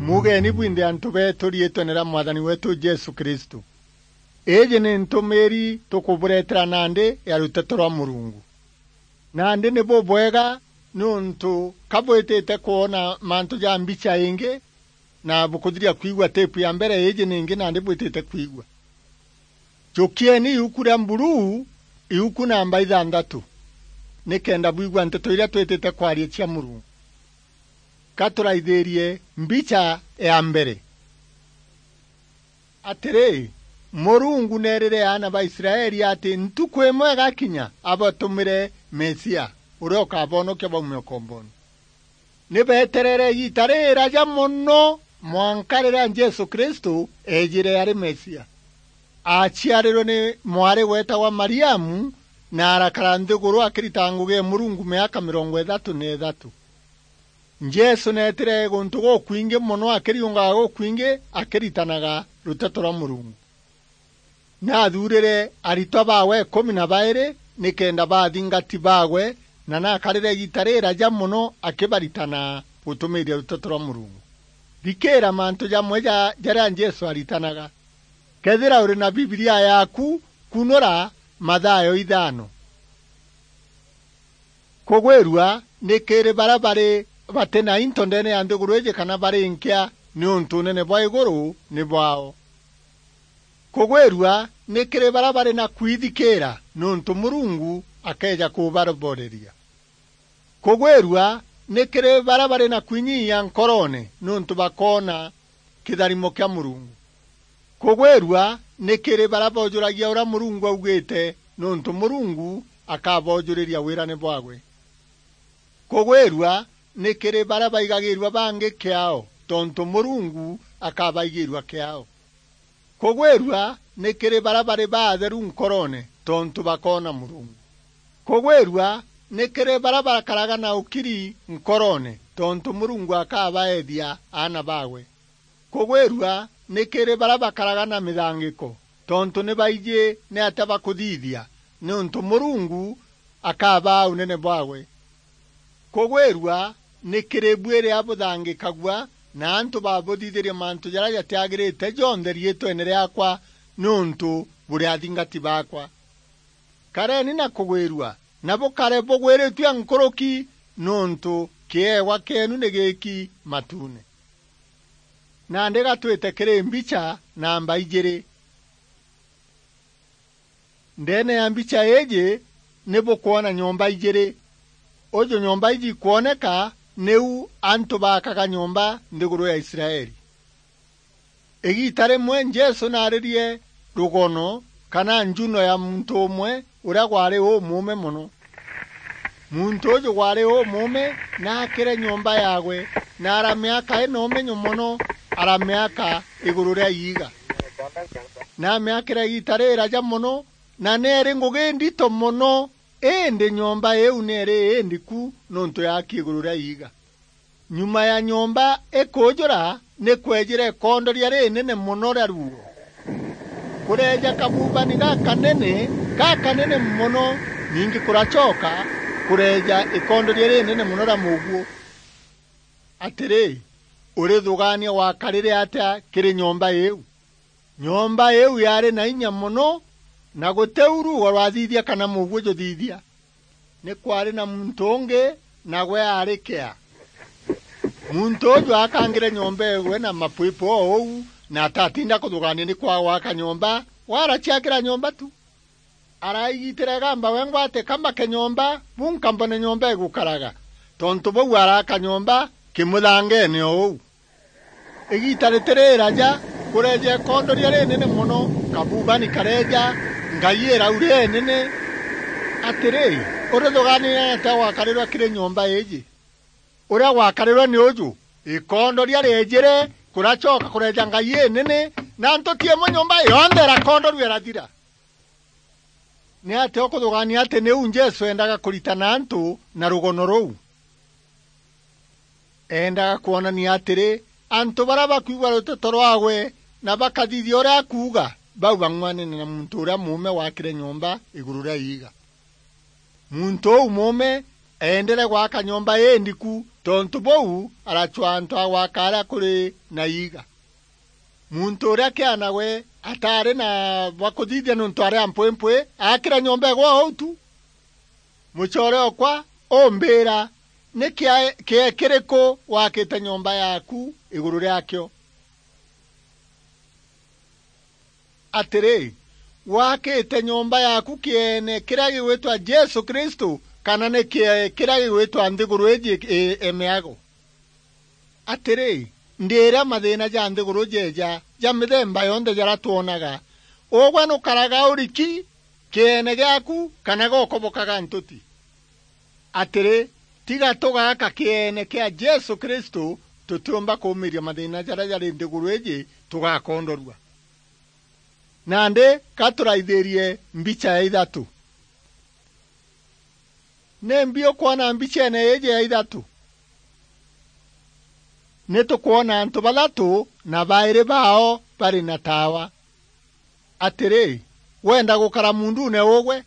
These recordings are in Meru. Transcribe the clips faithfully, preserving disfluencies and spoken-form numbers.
Mugeni bwinthe antu beetu riitwene ria Mwathani weetu Jesu Kristu. Iiji ni ntumiri tukuburetera nandi ya ruteto rwa Murungu. Nandi ni bubwega niuntu ka bwitite kwona mantu ja mbicha ingi, na bukuthiria kwigua tape ya mbere iiji ningi nandi bwitite kwigua. Jukieni iuku ria mburuu, iuku namba ithanthatu, nikenda bwigua nteto iria twitite kwaria cia Murungu. Ka turaithirie mbicha ya mbere. Atiri, Murungu neerire aana ba Israeli ati ntuku imwe igakinya abatumire Mesia, uria ukabonokia baume ukombone. Ni beeterere igiita riraja mono mwanka riria Jesu Kristu eejire ari Mesia. Aaciarirwe ni mwari weetagwa Mariamu, na arakara nthiguru akiritaga ngugi ya Murungu miaka mirongo ithatu na ithatu. Jesu neetire guntu gukwingi mono, akiriungaga gukwingi, akiritanaga ruteto rwa Murungu. Naathuurire aritwa baawe ikumi na bairi nikenda baathingati baawe, na naakarire igiita riraja mono akibaritana gutumiiria ruteto rwa Murungu. Thikiira mantu jamwe ja jaria Jesu aritanaga. Kethira uri na Bibilia yaaku, kunura Mathayo ithano. Kugwirua ni kiri baria bari bati na into ndeene ya nthiguru iiji kana bari nkia, niuntu unene bwa iguru ni bwaao. Kugwirua ni kiri baria bari na kwithikiira, niuntu Murungu akeeja kubaroboreria. Kugwirua ni kiri baria bari na kwinyiia nkoroone, niuntu bakoona kitharimo kia Murungu. Kugwirua ni kiri baria boojuragia uria Murungu augite, niuntu Murungu akaboojuriria wirane bwaagwe. Kugwirua ni kiri baria baigagiirua bangi kiaao, tontu Murungu akabaigiirua kiaao. Kugwirua ni kiri baria bari baatheru nkoroone, tontu bakoona Murungu. Kugwirua ni kiri baria bakaraga na ukiri nkoroone, tontu Murungu akabaethia aana baawe. Kugwirua ni kiri baria bakaraga na mithangiko, tontu ni baiji niatia bakuthithia, niuntu Murungu akabaa unene bwaawe. Kugwirua ni kiri bwiri abuthangikagua, na antu babuthithirie mantu jaria jatiagirite jonthe riitwene riaakwa, niuntu buri athingati baakwa. Kareni na kugwirua, na bukare bugwiritue nkuruki, niuntu kiewa kieenu ni giki matuune. Nandi gatwite kiri mbicha namba ijiri. Ndeene ya mbicha iiji ni bukwona nyomba ijiri. Uju nyomba iji ikwoneka niu antu baakaga nyomba nthiguru ya Israeli. Igiita rimwe Jesu naaririe rugono kana njuno ya muntu umwe uria gwari umuume mono. Muntu uju gwari umuume naakire nyomba yaagwe, na aramiaka ina umenyo mono, aramiaka iguru ria iiga. Naamiakire igiita riraja mono, na neeri ngugi ndito mono, indi nyomba iu neeri indiku niuntu yaaki iguru ria iiga. Nyuma ya nyomba ikuujura, ni kweejire ikondoria rinene mono ria ruuo. Kureeja kabubani gakanene, gakanene mono, ningi kuracoka kureeja ikondoria rinene mono ria muguo. Atiri, urithugaania wakarire atia kiri nyomba iu? Nyomba iu yaari na inya mono, na guti u ruuo rwathithia kana muguo juthithia. Ni kwaari na muntu ungi, nagwe aari kea. Muntu uju aakangire nyomba eegwe na mapwipu o uu, na atatinda kuthugaania ni kwaa gwaka nyomba, we araciakira nyomba tu. Araigitire igamba wengwa ati kambake nyomba, bunka mbone nyomba igukaraga. Tontu bau araaka nyomba kimuthangeene o uu. Igiita ritiriraja, kureeja ikondoria rinene mono, kabubani kareeja, ngai irauria inene. Atiri, urithugaanire atia gwakarirwe kiri nyomba iiji? Uria gwakarirwe ni uju, ikondoria rieejire, kuracoka kureeja ngai inene, na ntuti imwe nyomba yonthe irakondorua irathira. Ni atia ukuthugaania ati niu Jesu eendaga kuritana antu na rugono ruu? Eendaga kwonania atiri, antu baria bakwigua ruteto rwaagwe na bakathithia uria akuuga, bau bang'uanene na muntu uria muume waakire nyomba iguru ria iiga. Muntu uu muume eendere gwaka nyomba indiku, Tontu buu, aracwaa antu a gwaka aria kuri na iiga. Muntu uria kiana we ataari na bwa kuthithia niuntu ari a mpwimpwi, aakira nyomba igwa o u tu. Mucoore okwa, umbiira, ni kiae-, kiee kiriku wakite nyomba yaaku iguru riakio? Atiri, wakite nyomba yaaku kieene kiria gigwitwa Jesu Kristu, kana ni kiee kiria gigwitwa nthiguru iji i-, imiago? Atiri, ndiiria mathiina ja nthiguru jeeja ja mithemba yonthe jaria twonaga, ugwe nukaraga uriki kieene giaku, kana gokobokaga ntuti? Atiri, tiga tugaaka kieene kia Jesu Kristu, tutiumba kuumiria mathiina jaria jari nthiguru iji, tugakondorua. Nandi, ka turaithirie mbicha ya ithatu. Nimbi ukwona mbicheene iiji ya ithatu? Ni tukwona antu bathatu na bairi baao bari na taawa. Atiri, wenda gukara muundune ugwe?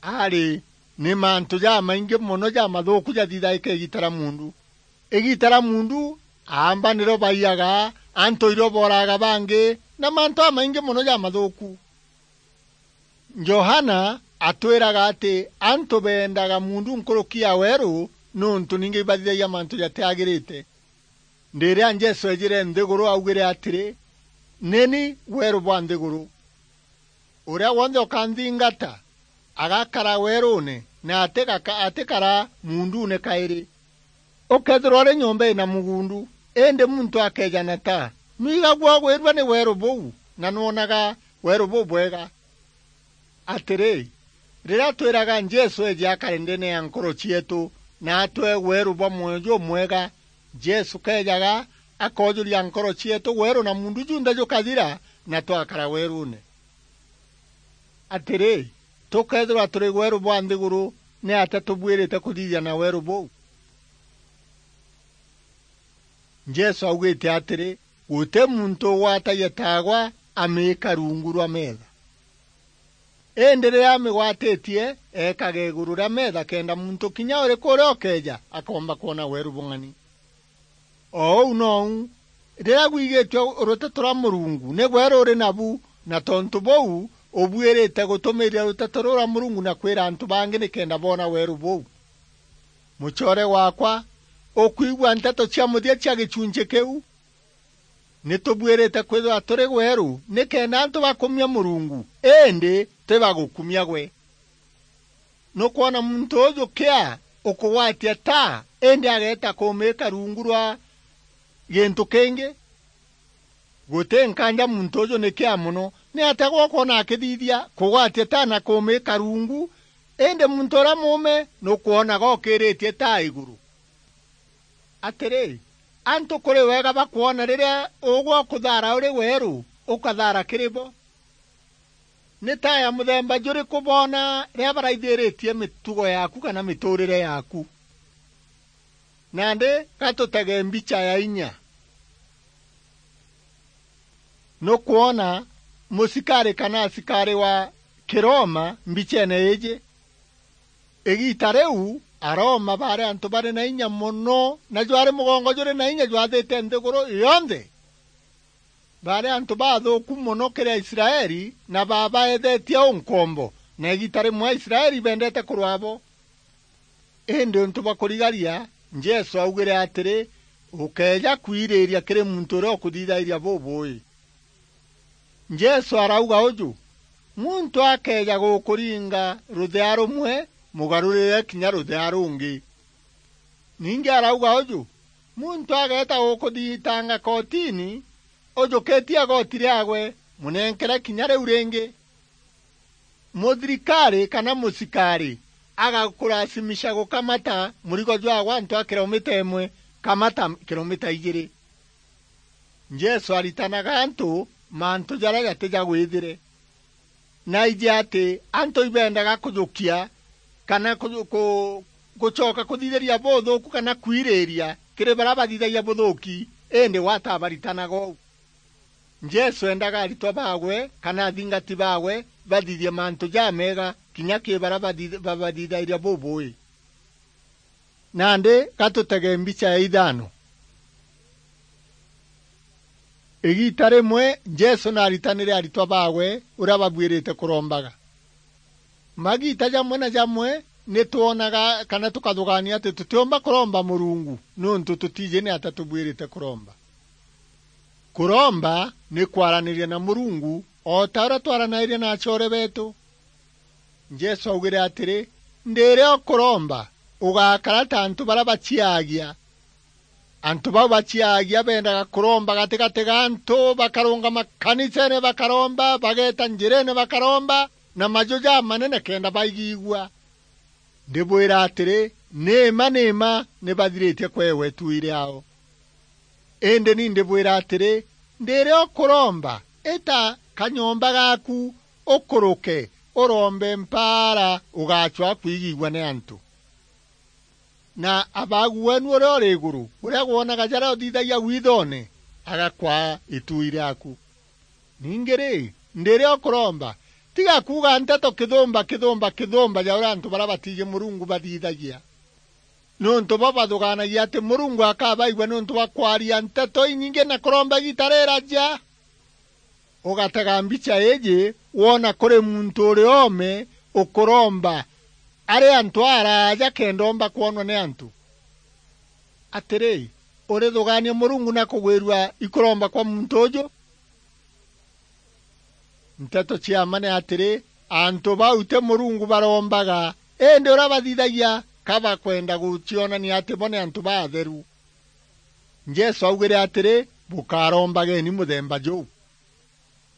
Ari, ni mantu jamaingi mono jamathuuku jathithaika igiita ria muundu. Igiita ria muundu, aamba nirio baiyaga, antu irio booraga bangi, na mantu jamaingi mono jamathuuku. Johana atwiraga ati antu beendaga muundu nkuruki ya weeru, niuntu ningi ibathithagia mantu jatiagirite. Riria Jesu eejire nthiguru, augire atiri, "Ni ni weeru bwa nthiguru. Uria wonthe ukanthingata, agakara weeruune, na atigaka-, atikara muundune kairi." Ukeethirwa uri nyomba ina mugundu, indi muntu akeeja na taa, nwigagua ugwirua ni weeru buu, na nwonaga weeru bubwega. Atiri, riria twiraga Jesu eeje akare ndeene ya nkoro cieetu, na atwee weeru bwa mwoyo jumwega, Jesu keejaga, akoojuria nkoro cieetu weeru na muundu junthe jukathira, na twakara weeruune. Atiri, tukeethirwa turi weeru bwa nthiguru, niatia tubuirite kuthithia na weeru buu? Jesu augite atiri, "Guti muntu ugwatagia taagwa amiika rungu rwa meetha. Indi riria amigwatitie, eekaga iguru ria meetha, kenda muntu kinya uriku uria ukeeja akoomba kwona weeru bung'ani." O uu nou, riria gwigitue ruteto rwa Murungu ni gwe ruri nabu, na tontu buu, ubuirite gutumiria ruteto ruu rwa Murungu na kwira antu bangi nikenda boona weeru buu. Mucoore waakwa, ukwigua nteto cia muthia cia gichunchi kiu? Ni tubuirite kwithirwa turi weeru nikenda antu bakumia Murungu, indi ti bagukumia gwe. Nukwona muntu uju kia ukugwatia taa, indi ageeta kumiika rungu rwa gintu kingi? Guti nkanja muntu uju ni kia mono. Niatia gwe ukwona akithithia kugwatia taa na kumiika rungu, indi muntu uria muume nukwona gokiritie taa iguru? Atiri, antu kuri wega bakwona riria ugwe ukuthaara uri weeru, ukathaara kiri bo. Ni taa ya muthemba juriku boona riria baraithiritie mitugo yaaku kana mituurire yaaku? Nandi, ga tutege mbicha ya inya. Nukwona musikari kana asikari wa Kiroma mbicheene iiji? Igiita riu, Aroma baari antu bari na inya mono, na jwari mugongo juri na inya jwathite nthiguru yonthe. Baari antu bathuuku mono kiri Aisraeli, na baabaethetie unkombo, na igiita rimwe Aisraeli ibendete kurwaa bo. Indi untu bwa kurigaria, Jesu augire atiri, "Ukeeja kwiriiria kiri muntu uria ukuthithairia bubuui." Jesu arauga uju, "Muntu akeeja gukuringa ruthea rumwe, mugarurire kinya ruthea rungi." Ningi arauga uju, "Muntu ageeta gukuthitanga kotini, ujukitie igoti riaagwe, munenkere kinya riu ringi." Muthirikari kana musikari agakurasimisha gukamata murigo jwaagwe antu a kilomita imwe, kamata kilomita ijiri. Jesu aritanaga antu mantu jaria jati ja gwithire. Naiji ati antu ibendaga kujukia kana ku-, ku-, gucoka kuthithiria buthuuku kana kwiriiria kiri baria bathithagia buthuuki, indi we atabaritanaga uu. Jesu endaga aritwa baagwe kana athingati baagwe bathithie mantu jameega kinya kiri baria bathi-, babathithairia bubuui. Nandi gatutege mbicha ya ithano. Igiita rimwe Jesu naaritanire aritwa baawe uria babuirite kurombaga. Magiita jamwe na jamwe ni twonaga kana tukathugaania ati tutiumba kuromba Murungu niuntu tutiji ni ata tubuirite kuromba. Kuromba ni kwaraniria na Murungu o ta uria twaranairia na acoore beetu. Jesu augire atiri, "Ndiria ukuromba, ugakara ta antu baria baciaagia." Antu bau baciaagia beendaga kuromba gatigati ga antu, bakarungama kaniseene bakaromba, bageeta njireene bakaromba, na maju jamanene kenda baigigua. Ndibwira atiri, ni mma, ni mma ni bathiritie kweewa ituui riaao. Indi ni ndibwira atiri, ndiria ukuromba, ita kanyomba gaaku, ukuruke, urombe mpaara, ugacwaa kwigigua ni antu. Na Abaagu weenu uria uri iguru, uria wonaga jaria uthithagia withoone, agakwaa ituui riaaku. Ningi ri, ndiria ukuromba, tiga kuuga nteto kithumba, kithumba, kithumba ja uria antu baria batiiji Murungu bathithagia. Niuntu bo bathugaanagia ati Murungu akabaigua niuntu bwa kwaria nteto inyingi na kuromba igiita riraja. Ugatega mbicha iiji, woona kuri muntu uri oome ukuromba ari antu araaja kenda oomba kwonwa ni antu. Atiri, urithugaania Murungu na kugwirua ikuromba kwa muntu uju? Nteto cia mma ni atiri, antu bau ti Murungu barombaga, indi uria bathithagia ka bakwenda gucionania ati bo ni antu baatheru. Jesu augire atiri, "Bukarombageni muthemba juu."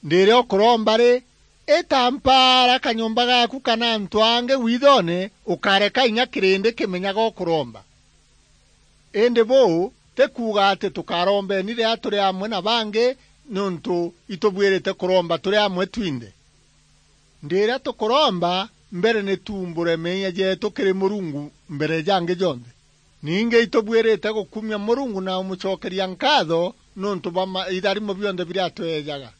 Ndiria ukuromba ri, ita mpaara kanyomba gaaku kana antu angi withoone, ukareka inya kirindi kimenyaga ukuromba. Indi buu ti kuuga ati tukarombeni riria turi amwe na bangi, niuntu itubuirite kuromba turi amwe twinthe. Ndiria tukuromba, mbere ni tuumbure meeyia jeetu kiri Murungu mbere jangi jonthe. Ningi itubuirite gukumia Murungu na umucokeria nkaatho niuntu bwa ma-, itharimo bionthe biria atweejaga.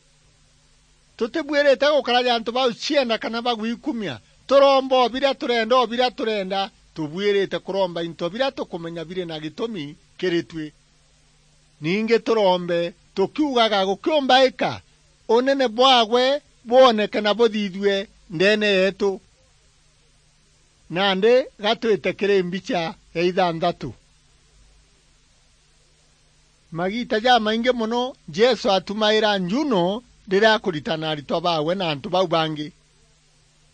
Tutibuirite gukara ja antu bau cienda kana bagwikumia. Turomba o biria turenda, o biria turenda. Tubuirite kuromba into biria tukumenya biri na gitumi kiri tui. Ningi turombe tukiugaga, "Gukiumbaika, unene bwaagwe bwoneke na buthithue ndeene yeetu." Nandi gatwite kiri mbicha ya ithanthatu. Magiita jamaingi mono, Jesu atumaira njuno riria akuritana aritwa baawe na antu bau bangi.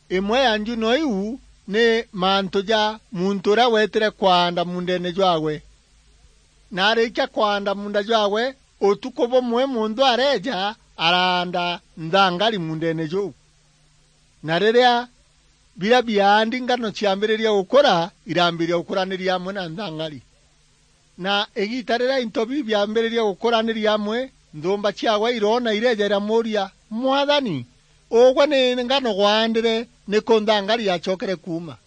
Imwe ya njuno iu ni mantu ja muntu uria weetire kwaanda muundeene jwaawe. Na arikia kwaanda muunda jwaawe, utuku bumwe muntu areeja araanda nthangari muundeene juu. Na riria biria biaandi ngano ciambiriria gukura, irambiria gukuraniria amwe na nthangari. Na igiita riria into biu biambiriria gukuraniria amwe, nthuumba ciaawe iroona ireeja iramuuria, "Mwathani, ugwe ni ngano gwaandire, niku nthangari yacokere kuuma?"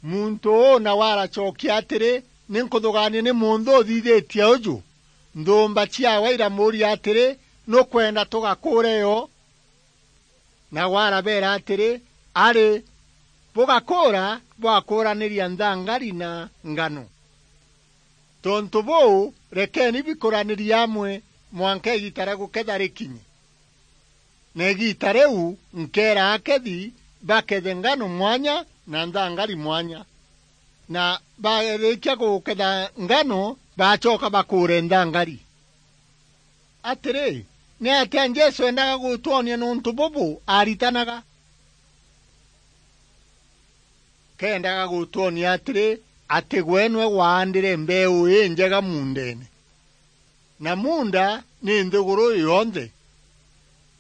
Muntu uu nawe aracokia atiri, "Ni nkuthugaania ni munthu uthithitie uju." Nthuumba ciaawe iramuuria atiri, "Nukwenda tugakuure yo?" Nawe arabeera atiri, "Ari, bugakuura bwakuuraniria nthangari na ngano. Tontu buu, rekeeni bikuranirie amwe mwanka igiita ria guketha rikinye. Na igiita riu nkeera akethi bakethe ngano mwanya na nthangari mwanya. Na barikia guketha ngano, bacoka bakuure nthangari." Atiri, ni atia Jesu endaga gutwonia niuntu bubu aaritanaga? Keendaga gutwonia atiri, ati gwe nwe waandire mbeu injega muundeene. Na muunda ni nthiguru yonthe.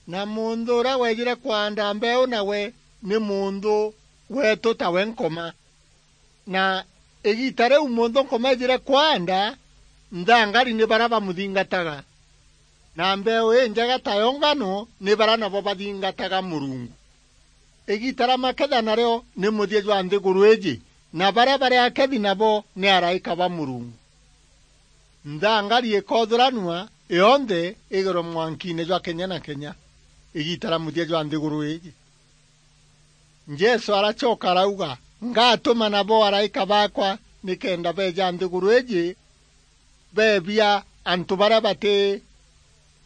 Na munthu uria weejire kwaanda mbeu nawe ni munthu weetu tawe nkoma. Na igiita riu munthu nkoma eejire kwaanda, nthangari ni baria bamuthingataga. Na mbeu injega tayo ngano ni baria nabo bathingataga Murungu. Igiita ria maketha nario ni muthia jwa nthiguru iiji, na baria bari akethi nabo ni araika ba Murungu. Nthangari ikothuranua yonthe igirwe mwankiine jwa kenya na kenya, igiita ria muthia jwa nthiguru iiji. Jesu aracoka arauga, "Ngatuma nabo araika baakwa, nikenda beeja nthiguru iji beebia antu baria bati-,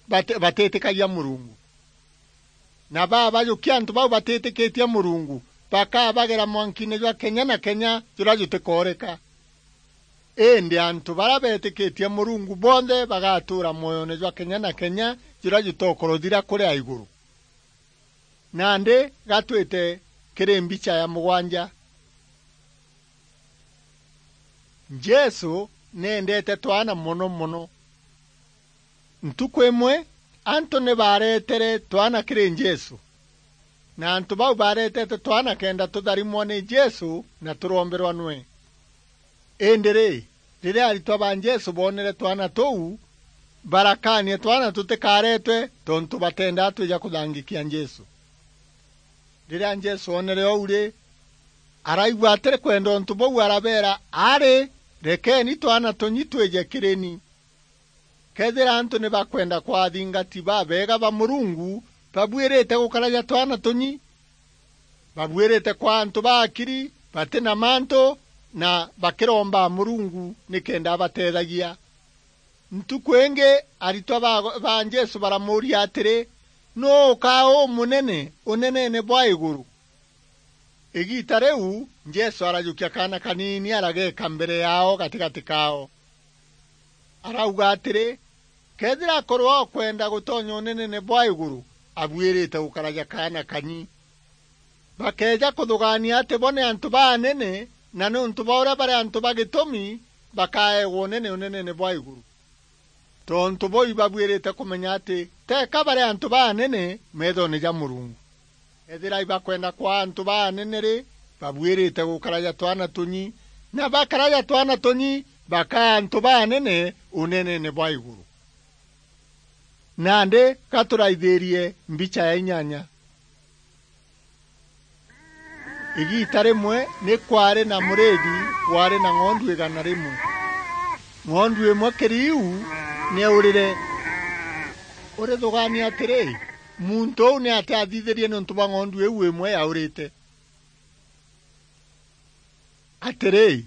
bati-, batitikagia Murungu. Na baabajukia antu bau batitikitie Murungu, bakabagera mwankiine jwa kenya na kenya juria jutikooreka. Indi antu baria beetikitie Murungu bonthe bagatuura mwoyone jwa kenya na kenya, juria jutokuruthira kuria iguru. Nandi gatwite kiri mbicha ya mugwanja. Jesu neendete twana mono mono. Ntuku imwe, antu ni baaretere twana kiri Jesu, na antu bau baaretete twana kenda tutharimwa ni Jesu na turomberwa nwe. Indi ri, riria aritwa ba Jesu boonere twana tuu, barakaania twana tutikaretwe, tontu batendaa twija kuthangikia Jesu. Riria Jesu oonere uu ri, araigua atiri kwenda untu buu, arabeera, "Ari, rekeeni twana tunyi twije kiri ni." Kethira antu ni bakwenda kwaa athingati babeega ba Murungu, babuirite gukaraja twana tunyi. Babuirite kwaa antu ba akiri, bati na mantu, na bakiromba Murungu nikenda abateethagia. Ntuku ingi, aritwa ba, ba Jesu baramuuria atiri, "Nuu ukaa umunene uneneene bwa iguru?" Igiita riu, Jesu arajukia kaana kaniini, arageeka mbere yaao gatigati kaao. Arauga atiri, "Kethira akorwa okwenda gutonya uneneene bwa iguru, abuirite gukaraja kaana kanyi." Bakeeja kuthugaania ati bo ni antu baanene, na niuntu bwa uria bari antu ba gitumi, bakaeegwa unene uneneene bwa iguru. Tontu buu ibabuirite kumenya ati teka bari antu baanene meethone ja Murungu. Ethira ibakwenda kwaa antu baanene ri, babuirite gukaraja twana tunyi, na bakaraja twana tunyi, bakaa antu baanene uneneene bwa iguru. Nandi gaturaithirie mbicha ya inyanya. Igiita rimwe ni kwaari na muriithi waari na ng'ondu igana rimwe. Ng'ondu imwe kiri iu ni yaurire. Urithugaania atiri, muntu uu ni atia athithirie niuntu bwa ng'ondu iu imwe yaurite? Atiri,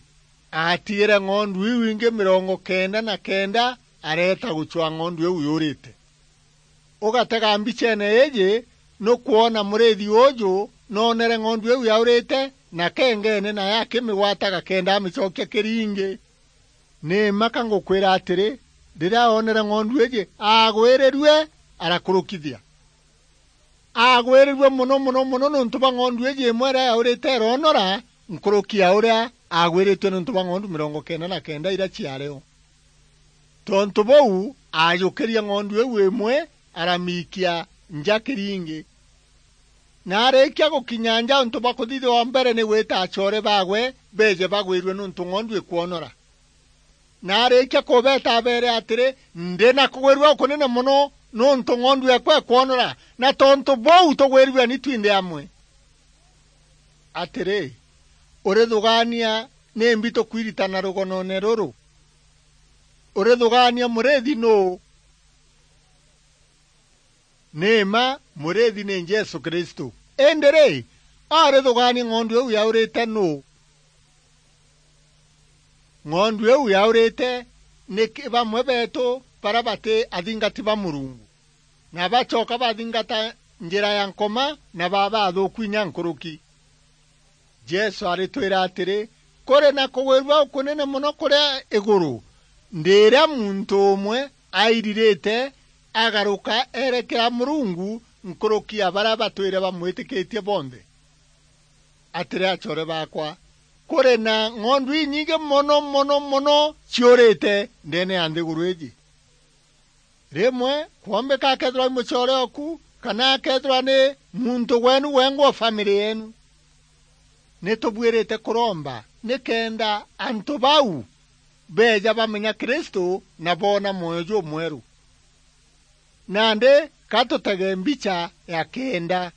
aatigire ng'ondu iu ingi mirongo kenda na kenda, areeta gucwaa ng'ondu iu yurite. Ugatega mbicheene iiji, nukwona muriithi uuju noonere ng'ondu iu yaurite, na kengeene nayo akimigwata gakenda amicokia kiri ingi. Ni mma ka ngukwira atiri, riria oonere ng'ondu iiji, aagwirirue, arakurukithia. Aagwirirue mono, mono, mono niuntu bwa ng'ondu iiji imwe iria yaurite iroonora, nkuruki ya uria aagwiritue niuntu bwa ng'ondu mirongo kenda na kenda iria ciaari o. Tontu buu, aajukirie ng'ondu iu imwe, aramiikia nja kiri ingi. Na arikia gukinya nja, untu bwa kuthithia o mbere ni gwita acoore baagwe beeje bagwirue niuntu ng'ondu ikwonora. Na arikia kubeeta abeere atiri, "Ndi na kugwirua gukunene mono niuntu ng'ondu ekwa ikwonora, na tontu buu tugwirue ni twinthe amwe." Atiri, urithugaania nimbi tukwiritana rugonoone ruru? Urithugaania muriithi nuu? Ni mma, muriithi ni Jesu Kristu. Indi ri, arithugaania ng'ondu iu yaurite nuu? Ng'ondu iu yaurite ni ki-, bamwe beetu baria bati athingati ba Murungu, na bacoka bathingata njira ya Nkoma, na baba athuuku inya nkuruki. Jesu aritwira atiri, kuri na kugwirua gukunene mono kuria iguru, ndiria muntu umwe airirite agaruka erekera Murungu nkuruki ya baria batwire bamwitikitie bonthe. Atiri, acoore baakwa, kuri na ng'ondu inyingi mono, mono, mono ciurite ndeene ya nthiguru iiji. Rimwe, kwombika akethirwa ni mucoore oku, kana akethirwa ni muntu gweenu wengwa o family yeenu. Ni tubuirite kuromba nikenda antu bau beeja bamenya Kristu na boona mwoyo jumweru. Nandi ka tutege mbicha ya kenda.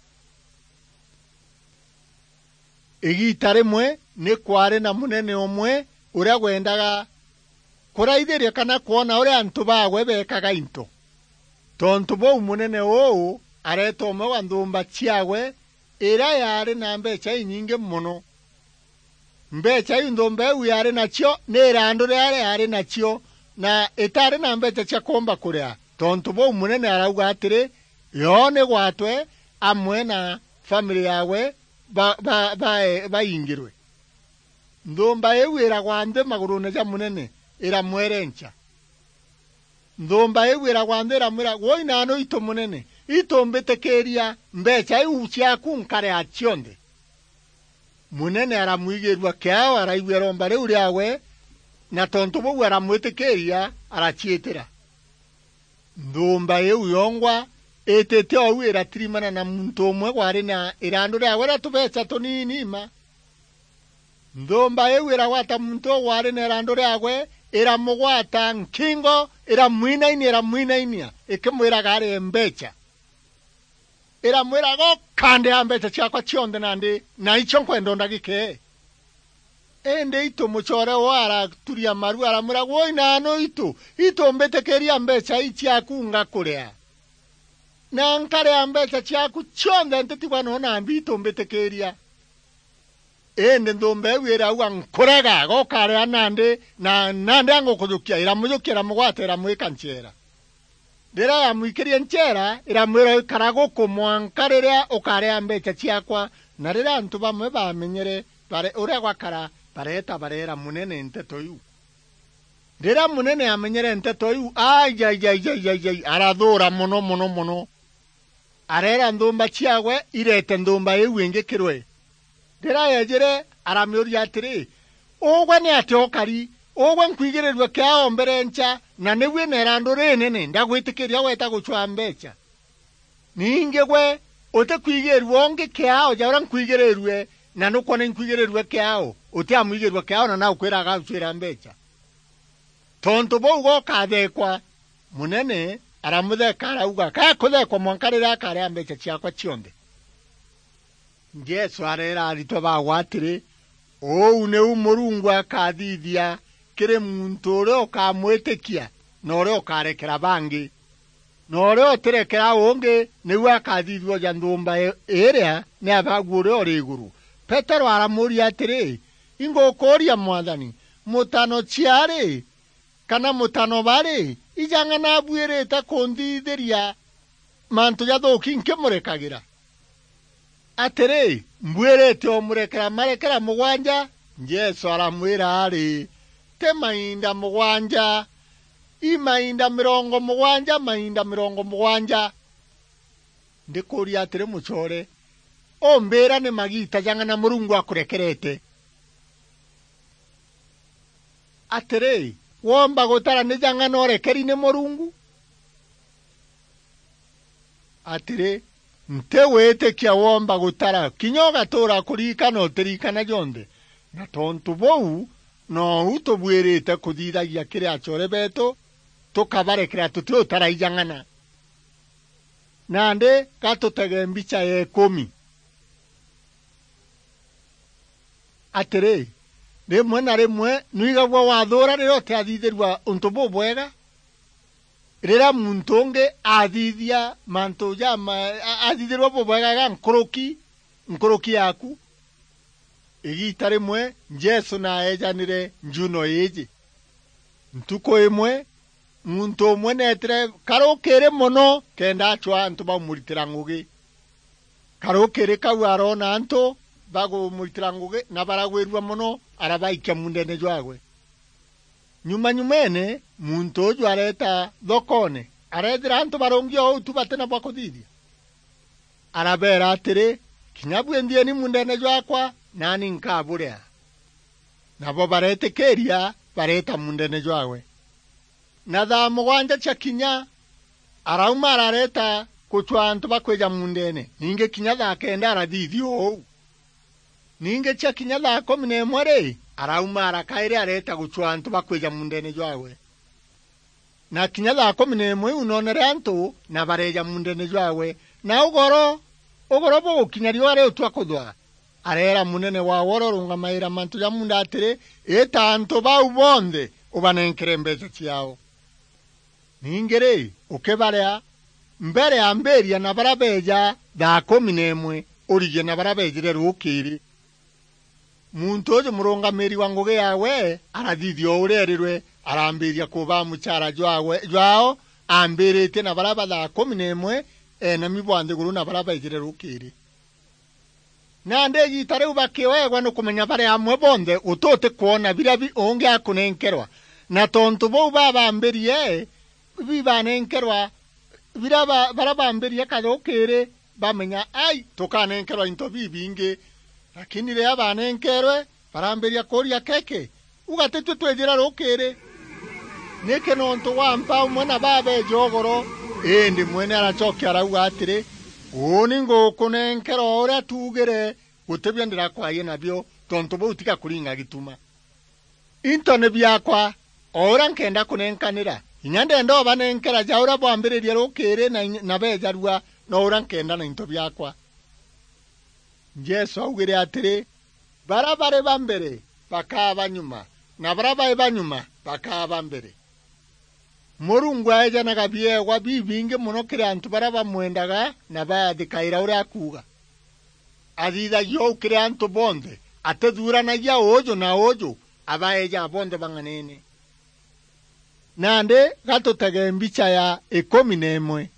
Igiita rimwe ni kwaari na munene umwe uria wendaga kuraithiria kana kwona uria antu baagwe beekaga into. Tontu buu, munene uu areeta umwe wa nthuumba ciaagwe iria yaari na mbeecha inyingi mono. Mbeecha iu nthuumba iu yaari nacio ni irandu riria yaari nacio, na itaari na mbeecha cia kuumba kuria. Tontu buu, munene arauga atiri, "Yoo ni gwatwe amwe na family yaawe ba-, ba-, bae-, baingirwe." Nthuumba iu iragwa nthi maguruune ja munene, iramwerenca. Nthuumba iu iragwa nthi iramwira, "Woi naanu itu munene, itu mbitikiiria mbeecha iu ciaaku nkaria cionthe." Munene aramwigiirua kiao, araigua iromba riu riaawe, na tontu buu aramwitikiiria, araciitira. Nthuumba iu yongwa itite ou iratirimana na muntu umwe waari na irandu riaawe ria tubeecha tuniini mma. Nthuumba iu iragwata muntu uu waari na irandu riaawe, iramugwata nkingo, iramwinainia, iramwinainia, ikimwiraga arie mbeecha. Iramwira, "Goka ndea mbeecha ciaakwa cionthe nandi, na icio nkwenda o ndagika ii." Indi itu mucoore woo araturia maru, aramwira, "Woi naanu itu, itu mbitikiiria mbeecha ii ciaaku ngakuria. Na nkaria mbeecha ciaaku cionthe ntitigwa noo na mbi, itu mbitikiiria." Indi nthuumba iu irauga, "Nkurega, goka ria nandi, na nandi angukujukia." Iramujukia, iramugwata, iramwika ncheera. Riria yamwikirie ncheera, iramwira, "Ikara guku mwanka riria ukaria mbeecha ciaakwa." Na riria antu bamwe baamenyere bare-, uria gwakara, bareeta bareera munene nteto iu. Riria munene aamenyere nteto iu, ai, ai, ai, arathuura mono, mono, mono. Areera nthuumba ciaawe ireete nthuumba iu ingi kirwe. Riria yeejire, aramiuria atiri, "Ugwe ni atia ukari? Ugwe nkwigirirue kiao mbere ncha, na ni wina irandu rinene, ndagwitikiiria weeta gucwaa mbeecha. Ningi gwe utikwigirua ungi kiao ja uria nkwigirirue, na nukwona inkwigirirue kiao, utiamwigirua kiao na nagukwira agagucwira mbeecha." Tontu buu gokatheekwa. Munene aramutheeka arauga, "Gakutheekwa mwanka riria akaria mbeecha ciaakwa cionthe." Jesu areera aritwa baawe atiri, "Uu niu Murungu akathithia kiri muntu uria ukamwitikia na uria ukarekera bangi. Na uria utirekera ungi niu akathithua ja nthuumba i-, iria ni Abaagu uria uri iguru." Petero aramuuria atiri, "Ingukuuria Mwathani, mutano ciari kana mutano bari, ijang'ana abuirite kunthithiria mantu jathuuki nkimurekagira?" Atiri, "Mbuirite umurekera marekera mugwanja?" Jesu aramwira ari, "Ti mainda mugwanja, i mainda mirongo mugwanja, mainda mirongo mugwanja." Ndikuuria atiri, mucoore, umbira ni magiita jang'ana Murungu akurekerete? Atiri, woomba gutara ni jang'ana urekeri ni Murungu? Atiri, nti witikia woomba gutara, kinya ugatuura kuririkana utirikana jonthe. Na tontu buu, nou tubuirite kuthithagia kiri acoore beetu, tukabarekera tutiutara ijang'ana. Nandi gatutege mbicha ya ikumi. Atiri, rimwe na rimwe nwigagua wathuura riria utiathithirua untu bubwega? Riria muntu ungi athithia mantu jama-, a-, athithirua bubwega ga nkuruki, nkuruki yaaku? Igiita rimwe Jesu naeejanire njuno iiji. Ntuku imwe, muntu umwe neetire karukiri mono kenda acwaa antu baumuritira ngugi. Karukiri kau aroona antu bagumuritira ngugi na baragwirua mono, arabaikia muundeene jwaagwe. Nyuma-nyumeene, muntu uju areeta thokoone, areethira antu barungi o uu tu bati na bwa kuthithia. Arabeera atiri, "Kinya bui nthieni muundeene jwaakwa, naani nkaburia." Nabo bareetikiiria, bareeta muundeene jwaagwe. Na thaa mugwanja ciakinya, arauma arareeta gucwaa antu bakwija muundeene, ningi kinya thaa kenda arathithia uu. Ningi ciakinya thaa kumi na imwe ri, arauma arakairi areeta gucwaa antu bakwija muundeene jwaagwe. Na kinya thaa kumi na imwe iu noonere antu na bareeja muundeene jwaagwe, na ugoro, ugoro bugukinya riua riutua kuthwa, areera munene waawe uria urungamaira mantu ja muunda atiri, "Ita antu bau bonthe ubanenkere mbeecha ciaao." Ningi ri, ukibaria, mbere ambiiria na baria beeja thaa kumi na imwe, urigie na baria beejire ruukiiri. Muntu uju murungamiri wa ngugi yawe arathithia o uria erirwe, arambiria kubaa muchara jwawe, jwao, ambiritie na baria ba thaa kumi na imwe, enami bwa nthiguru na baria baijire rukiri. Nandi igiita riu bakiweegwa ni kumenya bari amwe bonthe, guti utikwona biria bi-, ungi akunenkerwa. Na tontu buu babambirie, bibanenkerwa, biria ba-, baria bambirie kathukiri, bamenya, ai, tukanenkerwa into bibingi. Lakini riria banenkerwe, barambiria kuuria, keke, uga titwe twijira rukiri? Niki nontu wa mpa umwe na babeeja ugoro? Indi mwene aracokia arauga atiri, uuni ngukunenkera o uria tuugire, gutibio ndirakwaie nabio, tontu buu tiga kuringa gituma. Into ni biakwa, o uria nkenda kunenkanira. Inya ndenda ubanenkera ja uria bwambiririe rukiri na inya, na beejarua, no uria nkenda na into biakwa. Jesu augire atiri, baria bari ba mbere bakaa ba nyuma, na baria bai ba nyuma bakaa ba mbere. Murungu aejanaga biewa bibingi mono kiri antu baria bamwendaga na baathikaira uria akuuga. Athithagia uu kiri antu bonthe, atithuuranagia uuju na uuju, abaejaga bonthe bang'anene. Nandi gatutege mbicha ya ikumi na imwe.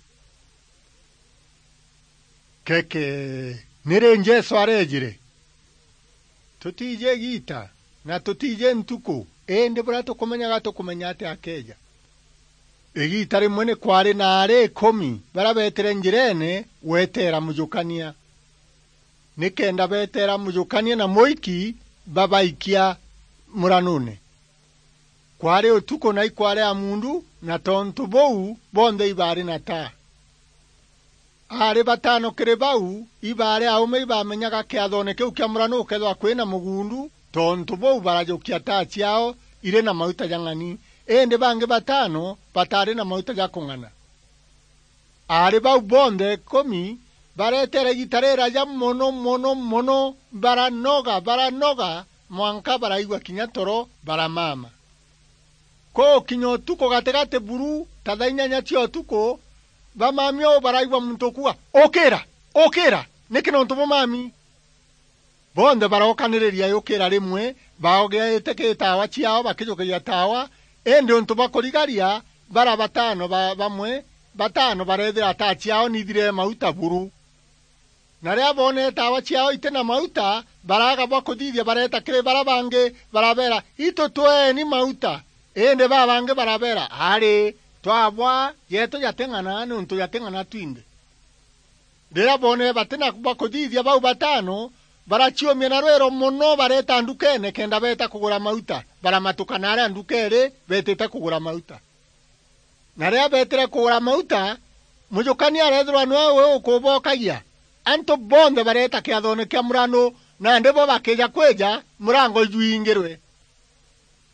Keke, ni ri Jesu areejire? Tutiiji igiita, na tutiiji ntuku, indi buria tukumenyaga tukumenya ati akeeja. Igiita rimwe ni kwaari na aari ikumi baria beetire njireene gweteera mujukania, nikenda beeteera mujukania na muiki babaikia muranuune. Kwaari utuku na ikwaari ya muundu, na tontu buu, bonthe ibaari na taa. Aari bataano kiri bau ibaari aume ibamenyaga kiathoone kiu kia murano ukethirwa kwina mugundu, tontu buu barajukia taa ciao iri na mauta ja ng'ani, indi bangi bataano bataari na mauta ja kung'ana. Aari bau bonthe ikumi bareteera igiita riraja mono, mono, mono, baranoga, baranoga, mwanka baraigua kinya toro, baramama. Kugukinya utuku gatigati buru, ta thaa inyanya cia utuku, bamami uu baraigua muntu ukuuga, "Ukira! Ukira! Niki nontu bumami?" Bonthe barookaniriria yukira rimwe, baogeete ki taawa ciao bakijukagia taawa, indi untu bwa kurigaria, bara bataano ba-, bamwe, bataano bareethira taa ciao nithire mauta buru. Na riria boonere taawa ciao iti na mauta, baraaga bwa kuthithia, bareeta kiri bara bangi, barabeera, "Itu tweeni mauta." Indi babangi barabeera, "Ari, twabwa, jeetu jating'ana, niuntu jating'ana twinthe." Riria boonere batina bwa kuthithia, bau bataano baraciumia na rwiro mono, bareeta ndukeene kenda beeta kugura mauta. Baramatuka na aria nduka iri beetite kugura mauta. Na riria beetire kugura mauta, mujukania areethirwa niwe uu ukubokagia. Antu bonthe bareeta kiathoone kia murano, nandi bo bakiija kwija, murango ijwingirwe.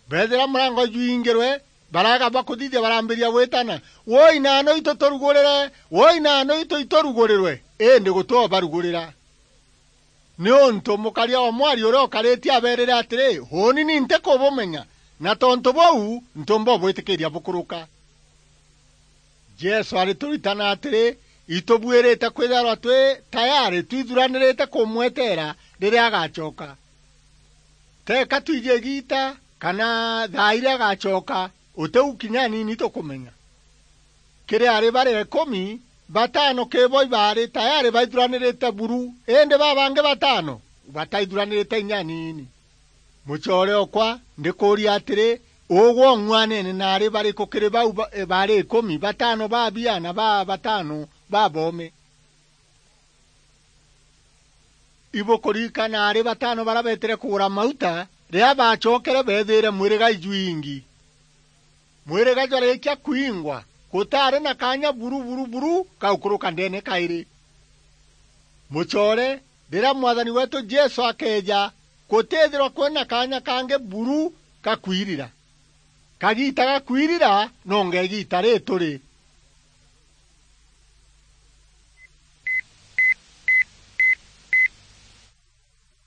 Beethira murango ijwingirwe, baraaga bwa kuthithia, barambiria gwitana, "Woi naano itu turugurire! Woi naano itu iturugurirwe!" Indi guti ubarugurira. Niuntu mukaria o mwari uria ukaritie abeerire atiri, "Uuni ni ntikubumenya, na tontu buu ntiumba ubwitikiria bukuruka." Jesu arituritana atiri, itubuirite kwithirwa twi tayari twithuranirite kumweteera riria agacoka. Teeka twiji igiita kana thaa iria agacoka, utiu kinya aniini tukumenya. Kiri aari baria ikumi, bataano kiri bo ibaari tayari baithuranirite buru, indi babangi bataano bataithuranirite inya aniini. Mucoore okwa, ndikuuria atiri, ugwe ung'uanene na aari bariku kiri bau ba-, baari ikumi, bataano babia na ba-, bataano baboome? Ibukuririkana aari bataano baria beetire kugura mauta, riria baacokere beethiire mwiriga ijwingi. Mwiriga jwarikia kwingwa, gutaari na kaanya buru, buru, buru ka gukuruka ndeene kairi. Mucoore, riria Mwathani weetu Jesu akeeja, gutiithirwa kwina kaanya kangi buru ka kwirira. Kagiita ga kwirira nonga igiita rii turi,